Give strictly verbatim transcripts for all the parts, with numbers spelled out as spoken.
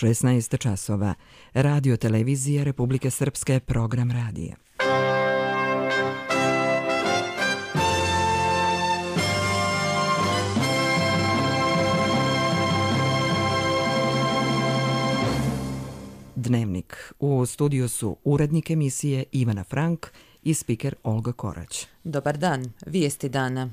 šesnaest časova. Radio televizija Republike Srpske, program radija. Dnevnik. U studiju su urednik emisije Ivana Frank i spiker Olga Korać. Dobar dan, vijesti dana.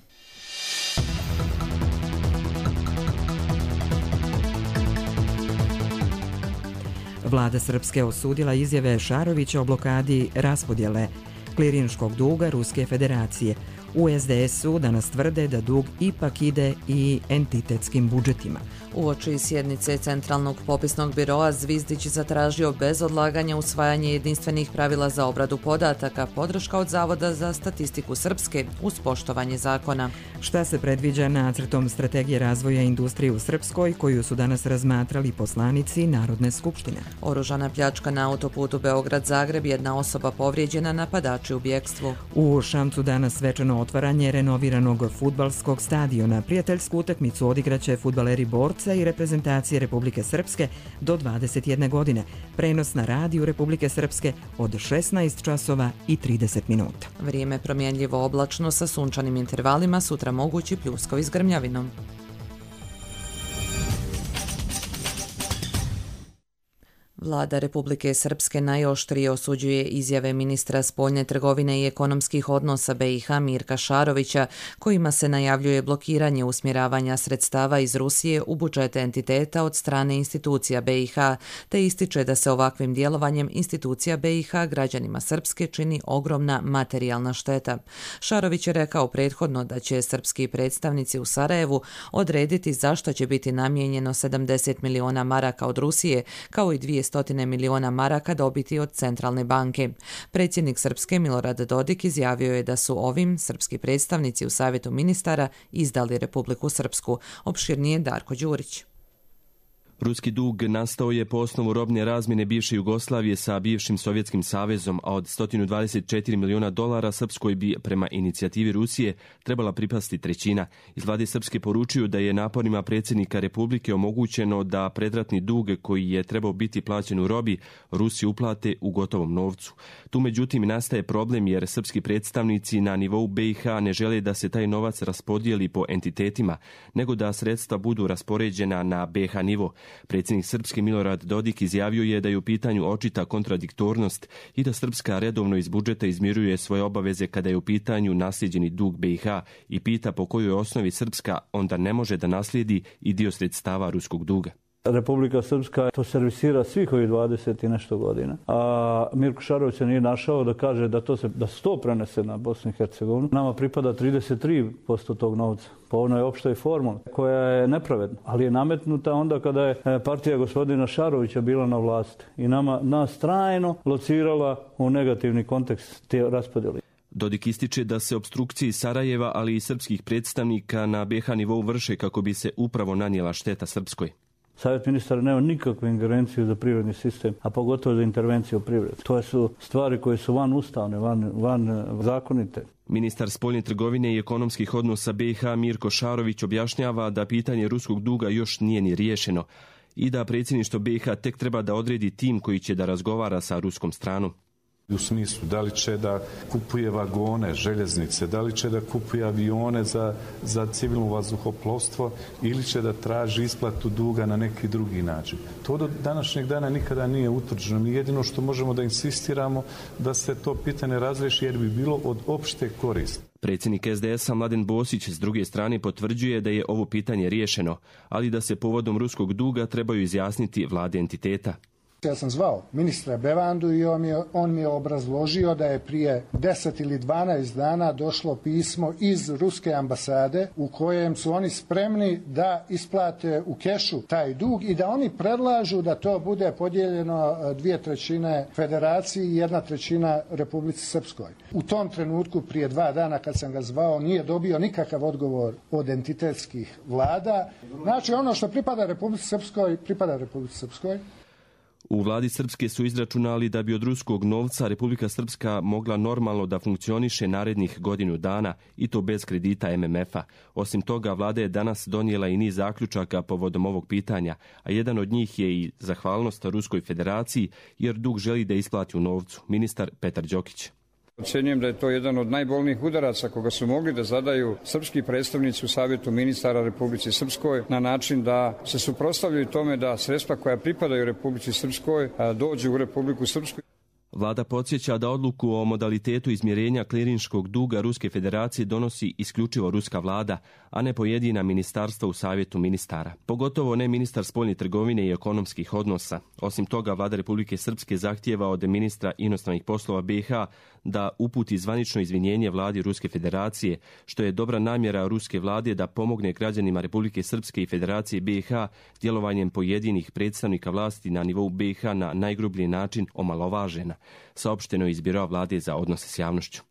Vlada Srpske osudila izjave Šarovića o blokadi raspodjele klirinškog duga Ruske federacije. U es de esu danas tvrde da dug ipak ide i entitetskim budžetima. Uoči sjednice Centralnog popisnog biroa Zvizdić zatražio bez odlaganja usvajanje jedinstvenih pravila za obradu podataka, podrška od Zavoda za statistiku Srpske uz poštovanje zakona. Šta se predviđa nacrtom strategije razvoja industrije u Srpskoj, koju su danas razmatrali poslanici Narodne skupštine? Oružana pljačka na autoputu Beograd-Zagreb, jedna osoba povrijeđena, napadači u bjekstvu. U Šamcu danas svečano otvaranje renoviranog fudbalskog stadiona. Prijateljsku utakmicu odigraće fudbaleri Borca i reprezentacije Republike Srpske do dvadeset jedne godine. Prenos na radiju Republike Srpske od šesnaest časova i trideset minuta. Vrijeme promjenljivo oblačno sa sunčanim intervalima, sutra mogući pljuskovi s grmljavinom. Vlada Republike Srpske najoštrije osuđuje izjave ministra spoljne trgovine i ekonomskih odnosa be i ha Mirka Šarovića, kojima se najavljuje blokiranje usmjeravanja sredstava iz Rusije u budžete entiteta od strane institucija be i ha, te ističe da se ovakvim djelovanjem institucija be i ha građanima Srpske čini ogromna materijalna šteta. Šarović je rekao prethodno da će srpski predstavnici u Sarajevu odrediti zašto će biti namijenjeno sedamdeset miliona maraka od Rusije, kao i dvjesto miliona maraka dobiti od Centralne banke. Predsjednik Srpske Milorad Dodik izjavio je da su ovim srpski predstavnici u Savjetu ministara izdali Republiku Srpsku. Opširnije Darko Đurić. Ruski dug nastao je po osnovu robne razmjene bivše Jugoslavije sa bivšim Sovjetskim savezom, a od sto dvadeset četiri miliona dolara Srpskoj bi, prema inicijativi Rusije, trebala pripasti trećina. Iz vlade Srpske poručuju da je naporima predsjednika Republike omogućeno da predratni dug koji je trebao biti plaćen u robi Rusi uplate u gotovom novcu. Tu međutim nastaje problem jer srpski predstavnici na nivou be i ha ne žele da se taj novac raspodijeli po entitetima, nego da sredstva budu raspoređena na be ha nivo. Predsjednik Srpske Milorad Dodik izjavio je da je u pitanju očita kontradiktornost i da Srpska redovno iz budžeta izmiruje svoje obaveze kada je u pitanju naslijeđeni dug be i ha i pita po kojoj osnovi Srpska onda ne može da naslijedi i dio sredstava ruskog duga. Republika Srpska to servisira svih ovih dvadeset i nešto godina, a Mirko Šarović se nije našao da kaže da to se da sto prenese na Bosnu i Hercegovinu. Nama pripada trideset tri posto tog novca po onoj opštoj formuli koja je nepravedna, ali je nametnuta onda kada je partija gospodina Šarovića bila na vlasti i nama nas trajno locirala u negativni kontekst te raspodjele. Dodik ističe da se opstrukcije Sarajeva, ali i srpskih predstavnika na be ha nivou vrše kako bi se upravo nanijela šteta Srpskoj. Savjet ministara nema nikakvu ingerenciju za privredni sistem, a pogotovo za intervenciju u privredu. To su stvari koje su van ustavne, van, van zakonite. Ministar spoljne trgovine i ekonomskih odnosa be i ha Mirko Šarović objašnjava da pitanje ruskog duga još nije ni riješeno i da predsjedništvo be i ha tek treba da odredi tim koji će da razgovara sa ruskom stranom. U smislu da li će da kupuje vagone, željeznice, da li će da kupuje avione za, za civilno vazduhoplovstvo ili će da traži isplatu duga na neki drugi način. To do današnjeg dana nikada nije utvrđeno. Mi jedino što možemo da insistiramo da se to pitanje razriješi jer bi bilo od opšte koristi. Predsjednik es de esa Mladen Bosić s druge strane potvrđuje da je ovo pitanje riješeno, ali da se povodom ruskog duga trebaju izjasniti vlade entiteta. Ja sam zvao ministra Bevandu i on mi, je, on mi je obrazložio da je prije deset ili dvanaest dana došlo pismo iz ruske ambasade u kojem su oni spremni da isplate u kešu taj dug i da oni predlažu da to bude podijeljeno dvije trećine federaciji i jedna trećina Republici Srpskoj. U tom trenutku prije dva dana kad sam ga zvao nije dobio nikakav odgovor od entitetskih vlada. Znači ono što pripada Republici Srpskoj, pripada Republici Srpskoj. U vladi Srpske su izračunali da bi od ruskog novca Republika Srpska mogla normalno da funkcioniše narednih godinu dana i to bez kredita M M F-a. Osim toga, vlada je danas donijela i niz zaključaka povodom ovog pitanja, a jedan od njih je i zahvalnost Ruskoj federaciji jer dug želi da isplati u novcu. Ministar Petar Đokić. Ocenjujem da je to jedan od najbolnijih udaraca koga su mogli da zadaju srpski predstavnici u Savjetu ministara Republici Srpskoj na način da se suprotstavljaju tome da sredstva koja pripadaju Republici Srpskoj dođu u Republiku Srpsku. Vlada podsjeća da odluku o modalitetu izmjerenja klirinškog duga Ruske federacije donosi isključivo ruska vlada, a ne pojedina ministarstva u Savjetu ministara. Pogotovo ne ministar spoljne trgovine i ekonomskih odnosa. Osim toga, vlada Republike Srpske zahtijeva od ministra inostranih poslova B i H da uputi zvanično izvinjenje vladi Ruske federacije, što je dobra namjera ruske vlade da pomogne građanima Republike Srpske i Federacije B i H djelovanjem pojedinih predstavnika vlasti na nivou B i H na najgrublji način omalovažena, saopšteno iz Biroa vlade za odnose s javnošću.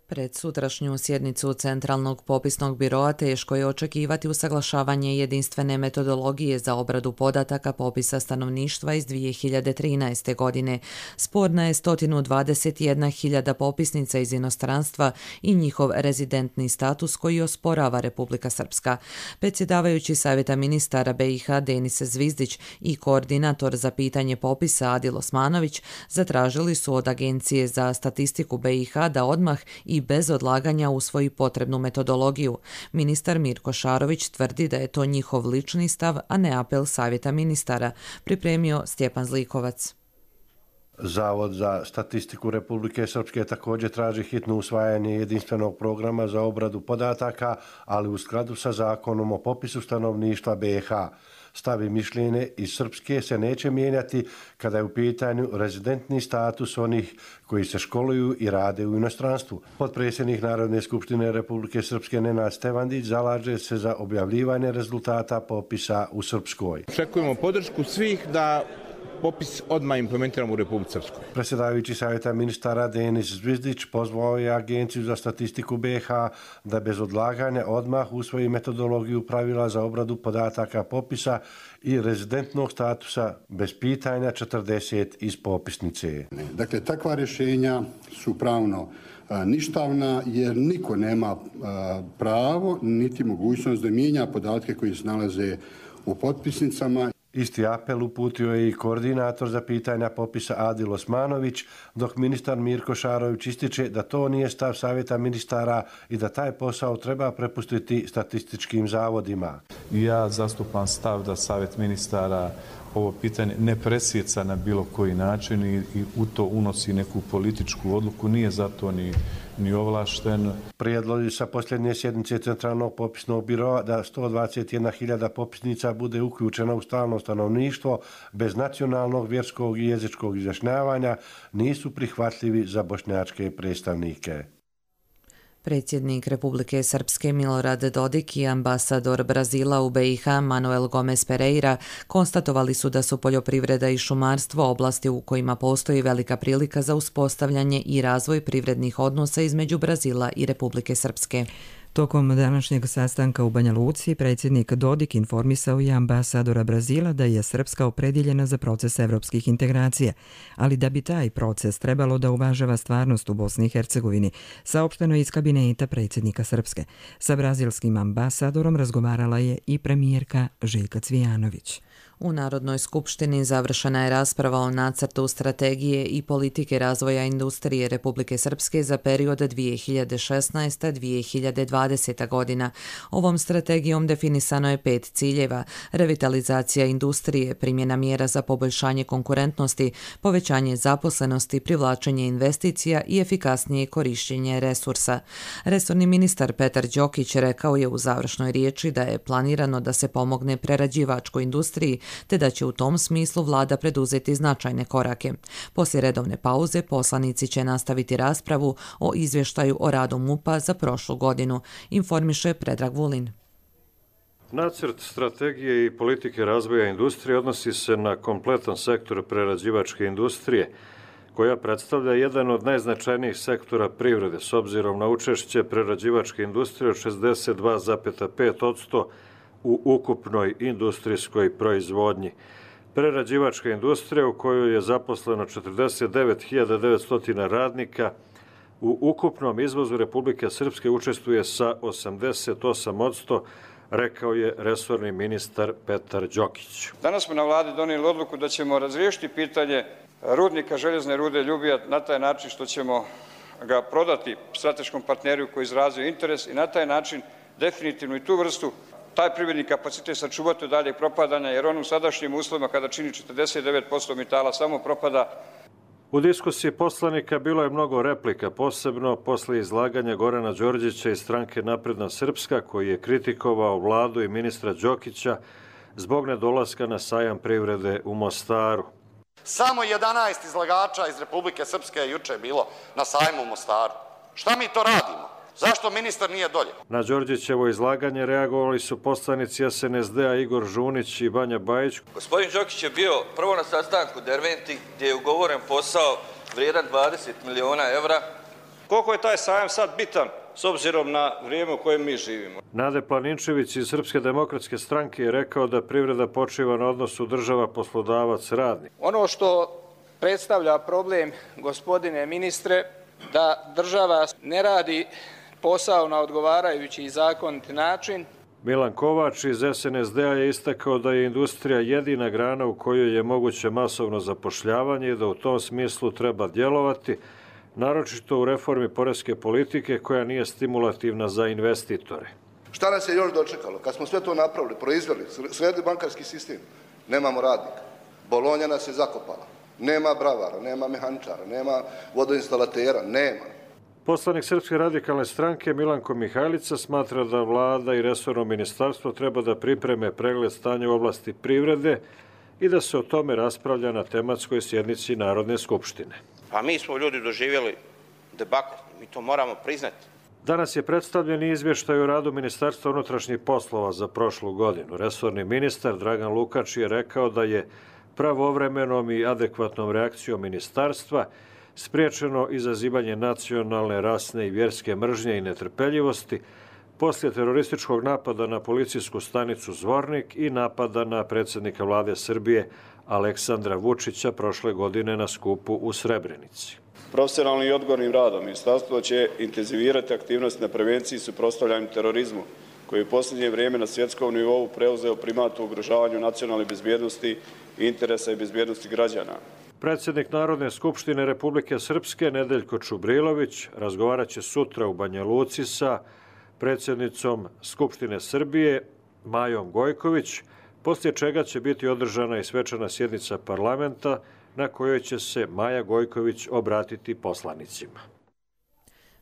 Pred sutrašnju sjednicu Centralnog popisnog biroa teško je očekivati usaglašavanje jedinstvene metodologije za obradu podataka popisa stanovništva iz dvije hiljade trinaeste. godine. Sporna je sto dvadeset jedna hiljada popisnica iz inostranstva i njihov rezidentni status koji osporava Republika Srpska. Predsjedavajući Savjeta ministara B i H Denis Zvizdić i koordinator za pitanje popisa Adil Osmanović zatražili su od Agencije za statistiku B i H da odmah i bez odlaganja usvoji potrebnu metodologiju. Ministar Mirko Šarović tvrdi da je to njihov lični stav, a ne apel Savjeta ministara, pripremio Stjepan Zlikovac. Zavod za statistiku Republike Srpske također traži hitno usvajanje jedinstvenog programa za obradu podataka, ali u skladu sa zakonom o popisu stanovništva B i H. Stav i mišljenje iz Srpske se neće mijenjati kada je u pitanju rezidentni status onih koji se školuju i rade u inostranstvu. Potpredsjednik Narodne skupštine Republike Srpske Nenad Stevandić zalaže se za objavljivanje rezultata popisa u Srpskoj. Očekujemo podršku svih da popis odmah implementiramo u Republici Srpskoj. Predsjedavajući Savjeta ministara Denis Zvizdić pozvao je Agenciju za statistiku B i H da bez odlaganja odmah usvoji metodologiju pravila za obradu podataka popisa i rezidentnog statusa bez pitanja četrdeset iz popisnice. Dakle, takva rješenja su pravno ništavna jer niko nema pravo niti mogućnost da mijenja podatke koji se nalaze u potpisnicama. Isti apel uputio je i koordinator za pitanja popisa Adil Osmanović, dok ministar Mirko Šarović ističe da to nije stav Savjeta ministara i da taj posao treba prepustiti statističkim zavodima. Ja zastupam stav da Savjet ministara ovo pitanje ne presjeca na bilo koji način i, i u to unosi neku političku odluku, nije zato ni, ni ovlašten. Prijedlozi sa posljednje sjednice Centralnog popisnog biroa da sto dvadeset jedna hiljada popisnica bude uključena u stalno stanovništvo bez nacionalnog, vjerskog i jezičkog izjašnjavanja nisu prihvatljivi za bošnjačke predstavnike. Predsjednik Republike Srpske Milorad Dodik i ambasador Brazila u B i H Manuel Gomes Pereira konstatovali su da su poljoprivreda i šumarstvo oblasti u kojima postoji velika prilika za uspostavljanje i razvoj privrednih odnosa između Brazila i Republike Srpske. Tokom današnjeg sastanka u Banja Luci, predsjednik Dodik informisao je ambasadora Brazila da je Srpska opredjeljena za proces evropskih integracija, ali da bi taj proces trebalo da uvažava stvarnost u Bosni i Hercegovini, saopšteno je iz kabineta predsjednika Srpske. Sa brazilskim ambasadorom razgovarala je i premijerka Željka Cvijanović. U Narodnoj skupštini završena je rasprava o nacrtu strategije i politike razvoja industrije Republike Srpske za period dvije hiljade šesnaesta do dvije hiljade dvadeseta. godina. Ovom strategijom definisano je pet ciljeva: revitalizacija industrije, primjena mjera za poboljšanje konkurentnosti, povećanje zaposlenosti, privlačenje investicija i efikasnije korišćenje resursa. Resorni ministar Petar Đokić rekao je u završnoj riječi da je planirano da se pomogne prerađivačkoj industriji te da će u tom smislu vlada preduzeti značajne korake. Poslije redovne pauze poslanici će nastaviti raspravu o izvještaju o radu MUP-a za prošlu godinu, informiše Predrag Vulin. Nacrt strategije i politike razvoja industrije odnosi se na kompletan sektor prerađivačke industrije, koja predstavlja jedan od najznačajnijih sektora privrede s obzirom na učešće prerađivačke industrije od šezdeset dva zarez pet posto u ukupnoj industrijskoj proizvodnji. Prerađivačka industrija u kojoj je zaposleno četrdeset devet hiljada devetsto radnika u ukupnom izvozu Republike Srpske učestvuje sa osamdeset osam posto, rekao je resorni ministar Petar Đokić. Danas smo na vladi donijeli odluku da ćemo razriješiti pitanje rudnika željezne rude Ljubija na taj način što ćemo ga prodati strateškom partneru koji izrazio interes i na taj način definitivno i tu vrstu, taj privredni kapacitet sačuvati od daljeg propadanja, jer on u sadašnjim uslovima kada čini četrdeset devet posto metala samo propada. U diskusiji poslanika bilo je mnogo replika, posebno posle izlaganja Gorana Đorđeća iz stranke Napredna Srpska, koji je kritikovao vladu i ministra Đokića zbog nedolaska na sajam privrede u Mostaru. Samo jedanaest izlagača iz Republike Srpske je juče bilo na sajmu u Mostaru. Šta mi to radimo? Zašto ministar nije dolje? Na Đorđećevo izlaganje reagovali su poslanici S N S D-a Igor Žunić i Banja Bajić. Gospodin Đokić je bio prvo na sastanku Derventi gdje je ugovoren posao vrijedan dvadeset miliona evra. Koliko je taj sajam sad bitan s obzirom na vrijeme u kojem mi živimo? Nade Planinčević iz Srpske demokratske stranke je rekao da privreda počiva na odnosu država-poslodavac-radnik. Ono što predstavlja problem, gospodine ministre, da država ne radi posao na odgovarajući i zakonit način. Milan Kovač iz S N S D-a je istakao da je industrija jedina grana u kojoj je moguće masovno zapošljavanje i da u tom smislu treba djelovati, naročito u reformi poreske politike koja nije stimulativna za investitore. Šta nas je još dočekalo? Kad smo sve to napravili, proizveli, sredili bankarski sistem, nemamo radnika. Bolonja nas je zakopala. Nema bravara, nema mehaničara, nema vodoinstalatera, nema. Poslanik Srpske radikalne stranke Milanko Mihajlica smatra da vlada i resorno ministarstvo treba da pripreme pregled stanja u oblasti privrede i da se o tome raspravlja na tematskoj sjednici Narodne skupštine. A mi smo ljudi doživjeli debakl, mi to moramo priznati. Danas je predstavljen izvještaj o radu Ministarstva unutrašnjih poslova za prošlu godinu. Resorni ministar Dragan Lukač je rekao da je pravovremenom i adekvatnom reakcijom ministarstva spriječeno izazivanje nacionalne, rasne i vjerske mržnje i netrpeljivosti poslije terorističkog napada na policijsku stanicu Zvornik i napada na predsjednika vlade Srbije Aleksandra Vučića prošle godine na skupu u Srebrenici. Profesionalnim i odgovornim radom ministarstvo će intenzivirati aktivnosti na prevenciji i suprotstavljanju terorizmu, koji je u posljednje vrijeme na svjetskom nivou preuzeo primat u ugrožavanju nacionalne bezbjednosti, interesa i bezbjednosti građana. Predsjednik Narodne skupštine Republike Srpske Nedeljko Čubrilović razgovarat će sutra u Banja Luci sa predsjednicom Skupštine Srbije Majom Gojković, poslije čega će biti održana i svečana sjednica parlamenta na kojoj će se Maja Gojković obratiti poslanicima.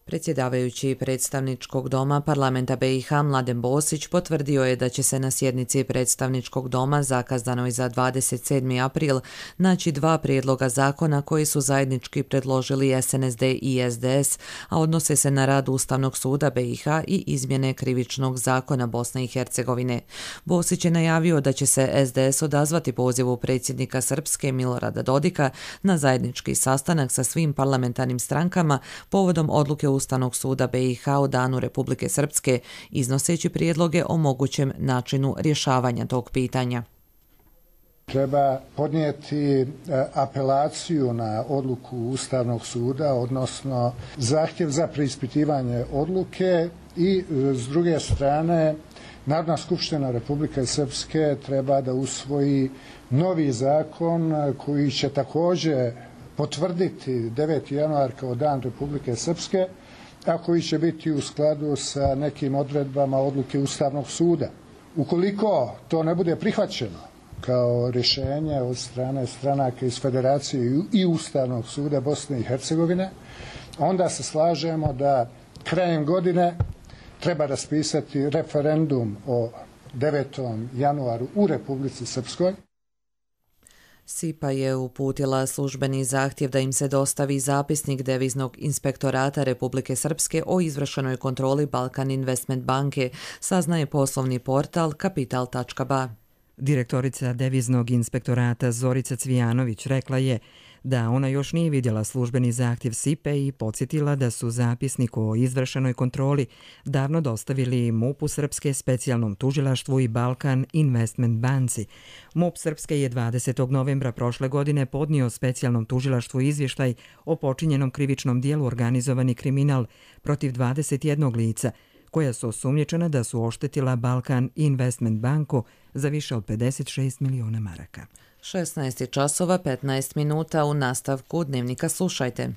Predsjedavajući predstavničkog doma parlamenta B i H Mladen Bosić potvrdio je da će se na sjednici predstavničkog doma zakazanoj za dvadeset sedmi april naći dva prijedloga zakona koji su zajednički predložili S N S D i S D S, a odnose se na rad Ustavnog suda B i H i izmjene krivičnog zakona Bosne i Hercegovine. Bosić je najavio da će se S D S odazvati pozivu predsjednika Srpske Milorada Dodika na zajednički sastanak sa svim parlamentarnim strankama povodom odluke Ustavnog suda B i H u danu Republike Srpske, iznoseći prijedloge o mogućem načinu rješavanja tog pitanja. Treba podnijeti apelaciju na odluku Ustavnog suda, odnosno zahtjev za preispitivanje odluke i s druge strane Narodna skupština Republike Srpske treba da usvoji novi zakon koji će također potvrditi deveti januar kao dan Republike Srpske, a koji će biti u skladu sa nekim odredbama odluke Ustavnog suda. Ukoliko to ne bude prihvaćeno kao rješenje od strane stranaka iz Federacije i Ustavnog suda Bosne i Hercegovine, onda se slažemo da krajem godine treba raspisati referendum o devetom januaru u Republici Srpskoj. SIPA je uputila službeni zahtjev da im se dostavi zapisnik deviznog inspektorata Republike Srpske o izvršenoj kontroli Balkan Investment banke, saznaje poslovni portal kapital tačka ba. Direktorica deviznog inspektorata Zorica Cvijanović rekla je da ona još nije vidjela službeni zahtjev S I P E i podsjetila da su zapisnik o izvršenoj kontroli davno dostavili MUP-u Srpske, specijalnom tužilaštvu i Balkan Investment banci. MUP Srpske je dvadesetog novembra prošle godine podnio specijalnom tužilaštvu izvještaj o počinjenom krivičnom dijelu organizovani kriminal protiv dvadeset jednog lica, koja su osumnjičena da su oštetila Balkan Investment banku za više od pedeset šest miliona maraka. šesnaest časova petnaest minuta, u nastavku Dnevnika slušajte.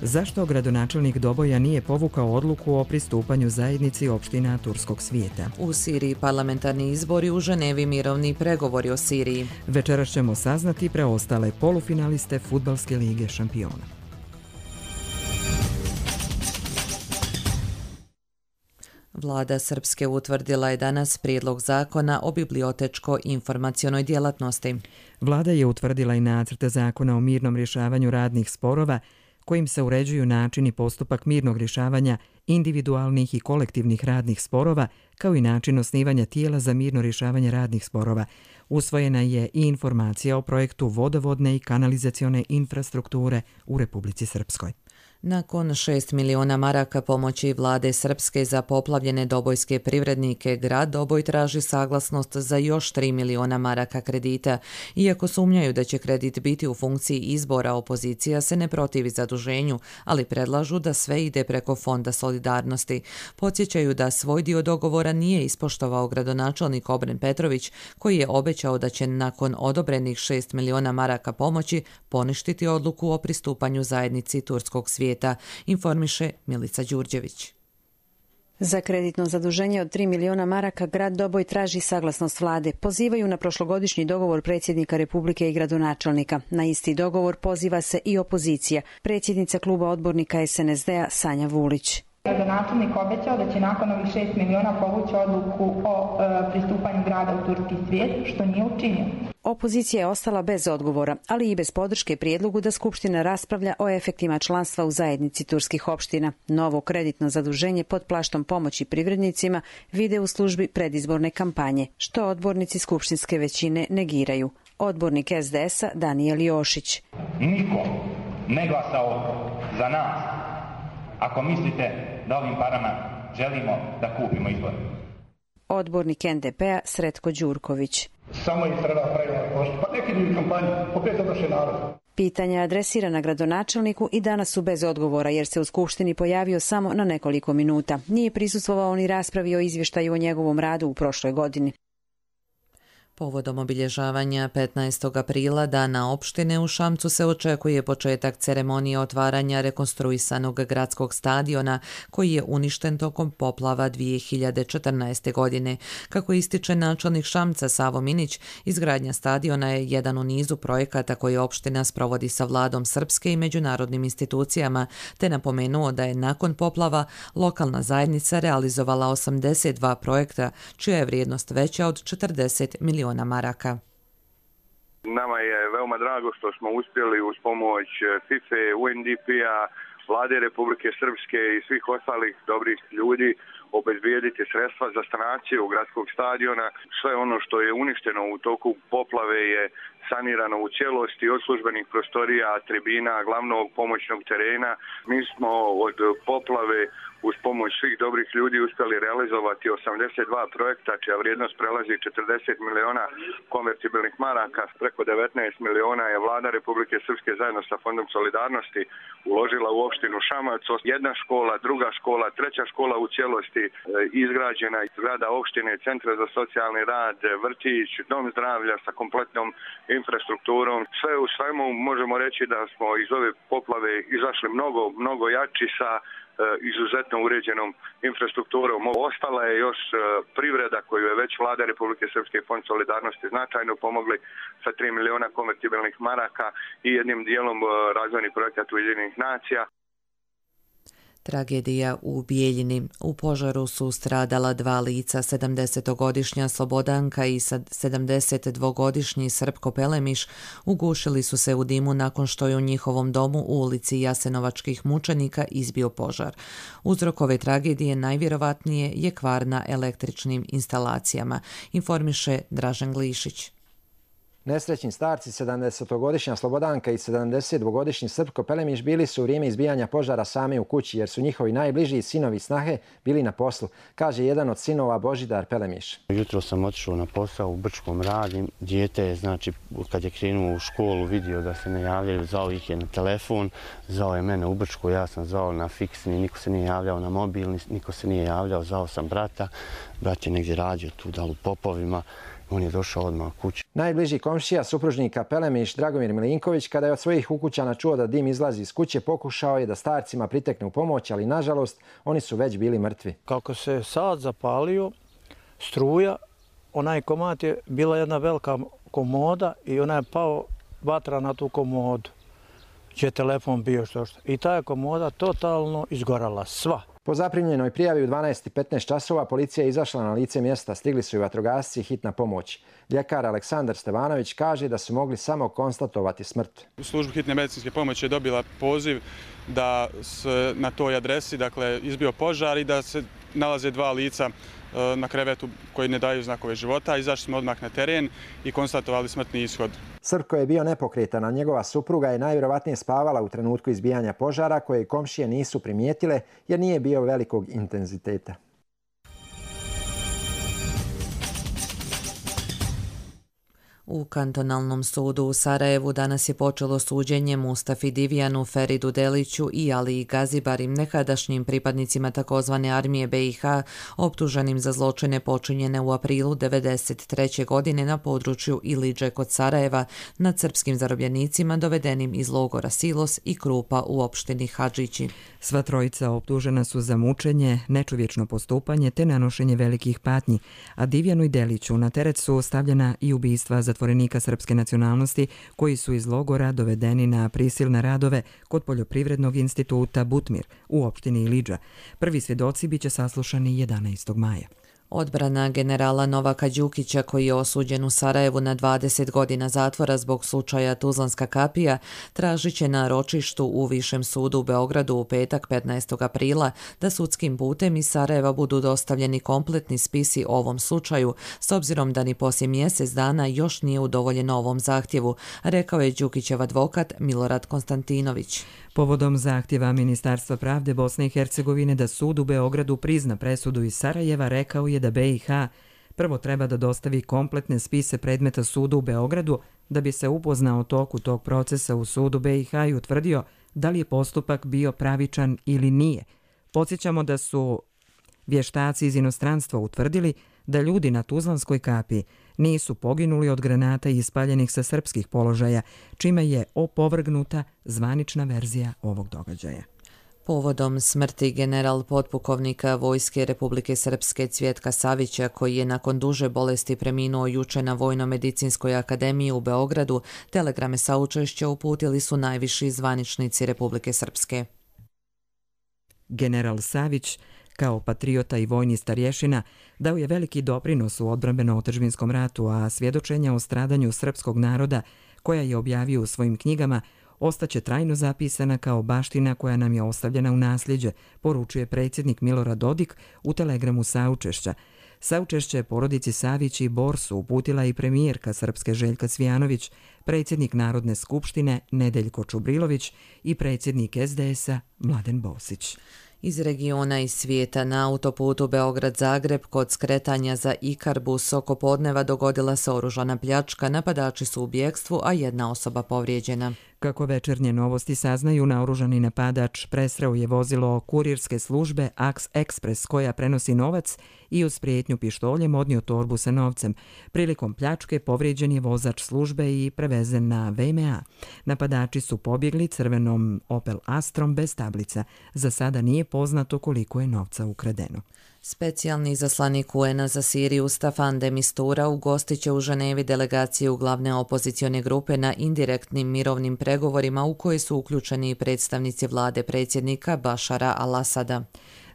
Zašto gradonačelnik Doboja nije povukao odluku o pristupanju zajednici opština turskog svijeta? U Siriji parlamentarni izbori, u Ženevi mirovni pregovori o Siriji. Večeras ćemo saznati preostale polufinaliste Fudbalske lige šampiona. Vlada Srpske utvrdila je danas prijedlog zakona o bibliotečko-informacionoj djelatnosti. Vlada je utvrdila i nacrt zakona o mirnom rješavanju radnih sporova, kojim se uređuju način i postupak mirnog rješavanja individualnih i kolektivnih radnih sporova, kao i način osnivanja tijela za mirno rješavanje radnih sporova. Usvojena je i informacija o projektu vodovodne i kanalizacione infrastrukture u Republici Srpskoj. Nakon šest miliona maraka pomoći Vlade Srpske za poplavljene dobojske privrednike, grad Doboj traži saglasnost za još tri miliona maraka kredita. Iako sumnjaju da će kredit biti u funkciji izbora, opozicija se ne protivi zaduženju, ali predlažu da sve ide preko Fonda solidarnosti. Podsjećaju da svoj dio dogovora nije ispoštovao gradonačelnik Obren Petrović, koji je obećao da će nakon odobrenih šest miliona maraka pomoći poništiti odluku o pristupanju zajednici turskog svijeta, informiše Milica Đurđević. Za kreditno zaduženje od tri miliona maraka grad Doboj traži saglasnost vlade. Pozivaju na prošlogodišnji dogovor predsjednika Republike i gradonačelnika. Na isti dogovor poziva se i opozicija. Predsjednica kluba odbornika S N S D-a Sanja Vulić. Gradonačelnik obećao da će nakon ovih šest miliona povući odluku o e, pristupanju grada u turski svijet, što nije učinio. Opozicija je ostala bez odgovora, ali i bez podrške prijedlogu da Skupština raspravlja o efektima članstva u zajednici turskih opština. Novo kreditno zaduženje pod plaštom pomoći privrednicima vide u službi predizborne kampanje, što odbornici skupštinske većine negiraju. Odbornik S D S-a Danijel Jošić. Niko ne glasao za nas ako mislite da ovim parama želimo da kupimo izbore. Odbornik N D P-a Sretko Đurković. Samo je treba pravilno košta. Pa neki idu kampanju, opet odoše narod. Pitanja adresirana gradonačelniku i danas su bez odgovora, jer se u Skupštini pojavio samo na nekoliko minuta. Nije prisustvovao ni raspravi o izvještaju o njegovom radu u prošloj godini. Povodom obilježavanja petnaestog aprila, Dana opštine, u Šamcu se očekuje početak ceremonije otvaranja rekonstruisanog gradskog stadiona koji je uništen tokom poplava dvije hiljade četrnaeste. godine. Kako ističe načelnik Šamca Savo Minić, izgradnja stadiona je jedan u nizu projekata koje opština sprovodi sa Vladom Srpske i međunarodnim institucijama, te napomenuo da je nakon poplava lokalna zajednica realizovala osamdeset dva projekta, čija je vrijednost veća od četrdeset miliona maraka. Nama je veoma drago što smo uspjeli uz pomoć FIFA, U N D P-a, Vlade Republike Srpske i svih ostalih dobrih ljudi obezbijediti sredstva za sanaciju gradskog stadiona. Sve ono što je uništeno u toku poplave je sanirano u cijelosti, od službenih prostorija, tribina, glavnog pomoćnog terena. Mi smo od poplave uz pomoć svih dobrih ljudi uspjeli realizovati osamdeset dva projekta, čija vrijednost prelazi četrdeset miliona konvertibilnih maraka. Preko devetnaest miliona je Vlada Republike Srpske zajedno sa Fondom solidarnosti uložila u opštinu Šamac. Jedna škola, druga škola, treća škola u cijelosti izgrađena, zgrada opštine, centra za socijalni rad, vrtić, dom zdravlja sa kompletnom infrastrukturom. Sve u svemu možemo reći da smo iz ove poplave izašli mnogo, mnogo jači sa izuzetno uređenom infrastrukturom. Ostala je još privreda koju je već Vlada Republike Srpske i Fond solidarnosti značajno pomogli sa tri miliona konvertibilnih maraka i jednim dijelom razvojnih projekata Ujedinjenih nacija. Tragedija u Bijeljini. U požaru su stradala dva lica, sedamdesetogodišnja Slobodanka i sedamdesetdvogodišnji Srpko Pelemiš ugušili su se u dimu nakon što je u njihovom domu u ulici Jasenovačkih mučenika izbio požar. Uzrok ove tragedije najvjerovatnije je kvar na električnim instalacijama, informiše Dražen Glišić. Nesrećni starci, sedamdesetogodišnja Slobodanka i sedamdesetdvogodišnji Srpko Pelemiš bili su u vrijeme izbijanja požara sami u kući jer su njihovi najbliži sinovi snahe bili na poslu, kaže jedan od sinova Božidar Pelemiš. Jutro sam otišao na posao, u Brčkom radim. Dijete je, znači, kad je krenuo u školu, vidio da se ne javljaju, zvao ih je na telefon, zvao je mene u Brčku, ja sam zvao na fiksni, niko se nije javljao na mobilni, niko se nije javljao, zvao sam brata, brat je negdje radio tu dal u Popovima. On je došao odmah u kuću. Najbliži komšija supružnika Pelemiš, Dragomir Milinković, kada je od svojih ukućana čuo da dim izlazi iz kuće, pokušao je da starcima pritekne u pomoć, ali nažalost oni su već bili mrtvi. Kako se sad zapalio struja, onaj komad je bila jedna velika komoda i ona je pao vatra na tu komodu. Gdje je telefon bio što što. I ta je komoda totalno izgorala, sva. Po zaprimljenoj prijavi u dvanaest i petnaest časova policija je izašla na lice mjesta, stigli su i vatrogasci i hitna pomoć. Ljekar Aleksandar Stevanović kaže da su mogli samo konstatovati smrt. Služba hitne medicinske pomoći je dobila poziv da se na toj adresi, dakle, izbio požar i da se nalaze dva lica na krevetu koji ne daju znakove života. Izašli smo odmah na teren i konstatovali smrtni ishod. Srpko je bio nepokretan, a njegova supruga je najvjerovatnije spavala u trenutku izbijanja požara koje komšije nisu primijetile jer nije bio velikog intenziteta. U kantonalnom sudu u Sarajevu danas je počelo suđenje Mustafi Divjanu, Feridu Deliću i Aliji Gazibarim, nekadašnjim pripadnicima takozvane armije be i ha, optuženim za zločine počinjene u aprilu devedeset treće godine na području Ilidže kod Sarajeva nad srpskim zarobljenicima dovedenim iz logora Silos i Krupa u opštini Hadžići. Sva trojica optužena su za mučenje, nečovječno postupanje te nanošenje velikih patnji, a Divjanu i Deliću na teret su stavljena i ubistva zatvorenika srpske nacionalnosti koji su iz logora dovedeni na prisilne radove kod Poljoprivrednog instituta Butmir u opštini Ilidža. Prvi svjedoci biće saslušani jedanaestog maja. Odbrana generala Novaka Đukića, koji je osuđen u Sarajevu na dvadeset godina zatvora zbog slučaja Tuzlanska kapija, tražit će na ročištu u Višem sudu u Beogradu u petak petnaestog aprila da sudskim putem iz Sarajeva budu dostavljeni kompletni spisi o ovom slučaju, s obzirom da ni poslije mjesec dana još nije udovoljeno ovom zahtjevu, rekao je Đukićev advokat Milorad Konstantinović. Povodom zahtjeva Ministarstva pravde Bosne i Hercegovine da sud u Beogradu prizna presudu iz Sarajeva, rekao je da be i ha prvo treba da dostavi kompletne spise predmeta sudu u Beogradu da bi se upoznao o toku tog procesa u sudu be i ha i utvrdio da li je postupak bio pravičan ili nije. Podsjećamo da su vještaci iz inostranstva utvrdili da ljudi na Tuzlanskoj kapiji nisu poginuli od granata ispaljenih sa srpskih položaja, čime je opovrgnuta zvanična verzija ovog događaja. Povodom smrti general potpukovnika Vojske Republike Srpske Cvjetka Savića, koji je nakon duže bolesti preminuo juče na Vojno-medicinskoj akademiji u Beogradu, telegrame saučešća uputili su najviši zvaničnici Republike Srpske. General Savić, kao patriota i vojni starješina, dao je veliki doprinos u odbrambeno-otadžbinskom ratu, a svjedočenja o stradanju srpskog naroda, koja je objavio u svojim knjigama, ostaće trajno zapisana kao baština koja nam je ostavljena u nasljeđe, poručuje predsjednik Milorad Dodik u telegramu saučešća. Saučešće porodici Savić i Borsu uputila i premijerka Srpske Željka Cvijanović, predsjednik Narodne skupštine Nedeljko Čubrilović i predsjednik es de es a Mladen Bosić. Iz regiona i svijeta na autoputu Beograd-Zagreb kod skretanja za Ikarbus oko podneva dogodila se oružana pljačka, napadači su u bjekstvu, a jedna osoba povrijeđena. Kako Večernje novosti saznaju, naoružani napadač presreo je vozilo kurirske službe Aks Ekspres koja prenosi novac i uz prijetnju pištoljem odnio torbu sa novcem. Prilikom pljačke povrijeđen je vozač službe i prevezen na ve em a. Napadači su pobjegli crvenom Opel Astrom bez tablica. Za sada nije poznato koliko je novca ukradeno. Specijalni izaslanik U N-a za Siriju Staffan de Mistura ugostit će u Ženevi delegaciju glavne opozicione grupe na indirektnim mirovnim pregovorima u koje su uključeni predstavnici vlade predsjednika Bašara al-Asada.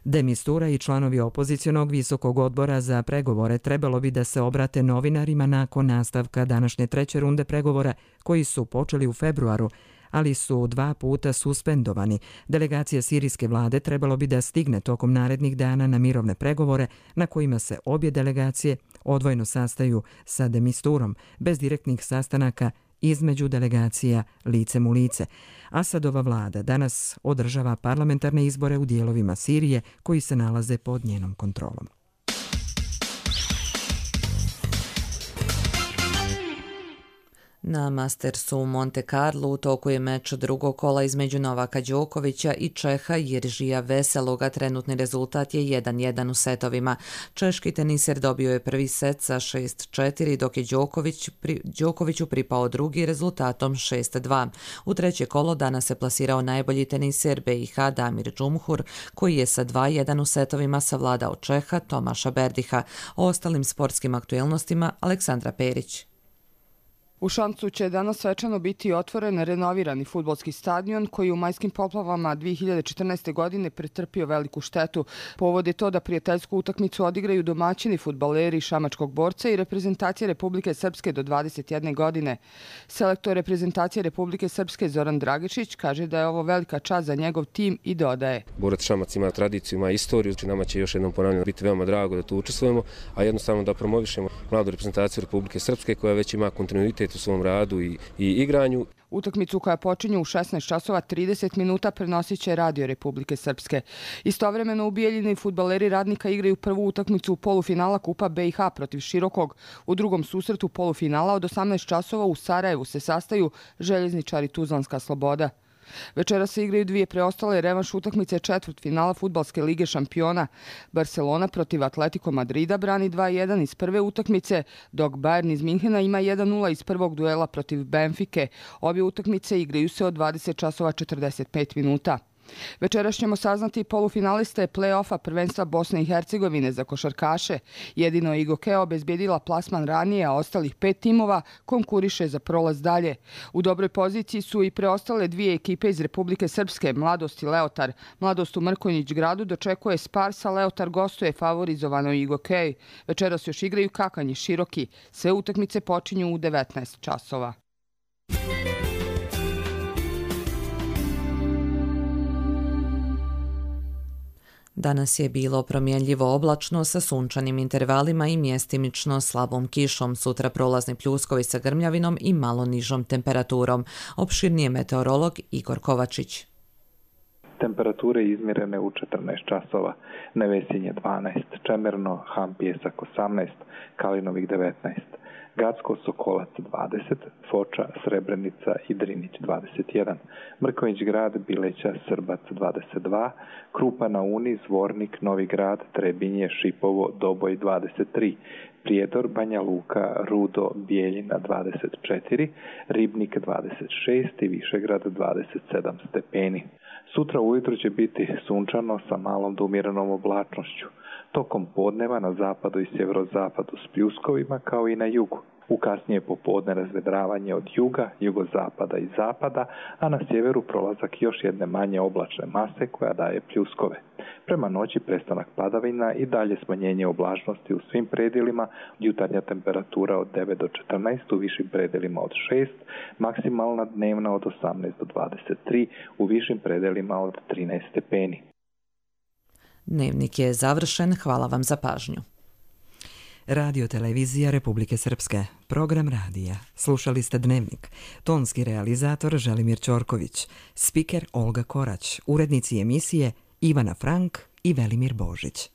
De Mistura i članovi opozicionog visokog odbora za pregovore trebalo bi da se obrate novinarima nakon nastavka današnje treće runde pregovora koji su počeli u februaru, ali su dva puta suspendovani. Delegacija sirijske vlade trebalo bi da stigne tokom narednih dana na mirovne pregovore na kojima se obje delegacije odvojno sastaju sa de Misturom, bez direktnih sastanaka između delegacija licem u lice. Asadova vlada danas održava parlamentarne izbore u dijelovima Sirije koji se nalaze pod njenom kontrolom. Na Mastersu u Monte Carlo u toku je meč drugog kola između Novaka Đokovića i Čeha Jiržija Veseloga. Trenutni rezultat je jedan jedan u setovima. Češki teniser dobio je prvi set sa šest četiri, dok je Đoković, pri, Đokoviću pripao drugi rezultatom šest dva. U treće kolo danas se plasirao najbolji teniser B i H Damir Džumhur, koji je sa dva jedan u setovima savladao Čeha Tomaša Berdiha. O ostalim sportskim aktuelnostima Aleksandra Perić. U Šancu će danas svečano biti otvoren renovirani fudbalski stadion koji u majskim poplavama dvije hiljade četrnaeste. godine pretrpio veliku štetu. Povod je to da prijateljsku utakmicu odigraju domaćini fudbaleri Šamačkog Borca i reprezentacije Republike Srpske do dvadeset jedne. godine. Selektor reprezentacije Republike Srpske Zoran Dragišić kaže da je ovo velika čast za njegov tim i dodaje. Borac Šamac ima tradiciju, ima istoriju, nama će još jednom ponavljamo biti veoma drago da tu učestvujemo, a jednostavno da promovišemo mladu reprezentaciju Republike Srpske koja već ima kontinuitet u svom radu i, i igranju. Utakmicu koja počinje u šesnaest časova trideset minuta prenosit će Radio Republike Srpske. Istovremeno u Bijeljini fudbaleri Radnika igraju prvu utakmicu polufinala Kupa B i H protiv Širokog. U drugom susretu polufinala od osamnaest časova u Sarajevu se sastaju Željezničari Tuzlanska Sloboda. Večera se igraju dvije preostale revanš utakmice četvrtfinala Fudbalske lige šampiona. Barcelona protiv Atletico Madrida brani dva jedan iz prve utakmice, dok Bayern iz Minhena ima jedan nula iz prvog duela protiv Benfike. Obje utakmice igraju se od dvadeset časova četrdeset pet minuta. Večeras ćemo saznati polufinaliste play-offa prvenstva Bosne i Hercegovine za košarkaše. Jedino Igokea obezbjedila plasman ranije, a ostalih pet timova konkuriše za prolaz dalje. U dobroj poziciji su i preostale dvije ekipe iz Republike Srpske, Mladost i Leotar. Mladost u Mrkonjić gradu dočekuje Sparsa, Leotar gostuje favorizovano Igokeji. Večeras još igraju Kakanj i Široki. Sve utakmice počinju u devetnaest časova. Danas je bilo promjenljivo oblačno sa sunčanim intervalima i mjestimično slabom kišom. Sutra prolazni pljuskovi sa grmljavinom i malo nižom temperaturom. Opširnije meteorolog Igor Kovačić. Temperature izmjerene u četrnaest časova. Nevesinje dvanaest, Čemerno, Ham Pjesak osamnaest, Kalinovik devetnaest. Gacko, Sokolac dvadeset, Foča, Srebrenica i Drinić dvadeset jedan, Mrkonjić grad, Bileća, Srbac dvadeset dva, Krupa na Uni, Zvornik, Novi grad, Trebinje, Šipovo, Doboj dvadeset tri, Prijedor, Banja Luka, Rudo, Bijeljina dvadeset četiri, Ribnik dvadeset šest i Višegrad dvadeset sedam stepeni. Sutra ujutro će biti sunčano sa malom do umjerenom oblačnošću. Tokom podneva na zapadu i sjeverozapadu s pljuskovima kao i na jugu. U kasnije popodne razvedravanje od juga, jugozapada i zapada, a na sjeveru prolazak još jedne manje oblačne mase koja daje pljuskove. Prema noći prestanak padavina i dalje smanjenje oblačnosti u svim predjelima, jutarnja temperatura od devet do četrnaest, u višim predjelima od šest, maksimalna dnevna od osamnaest do dvadeset tri, u višim predjelima od trinaest stepeni. Dnevnik je završen. Hvala vam za pažnju. Radio televizija Republike Srpske. Program radija. Slušali ste Dnevnik. Tonski realizator Želimir Ćorković. Spiker Olga Korać. Urednici emisije Ivana Frank i Velimir Božić.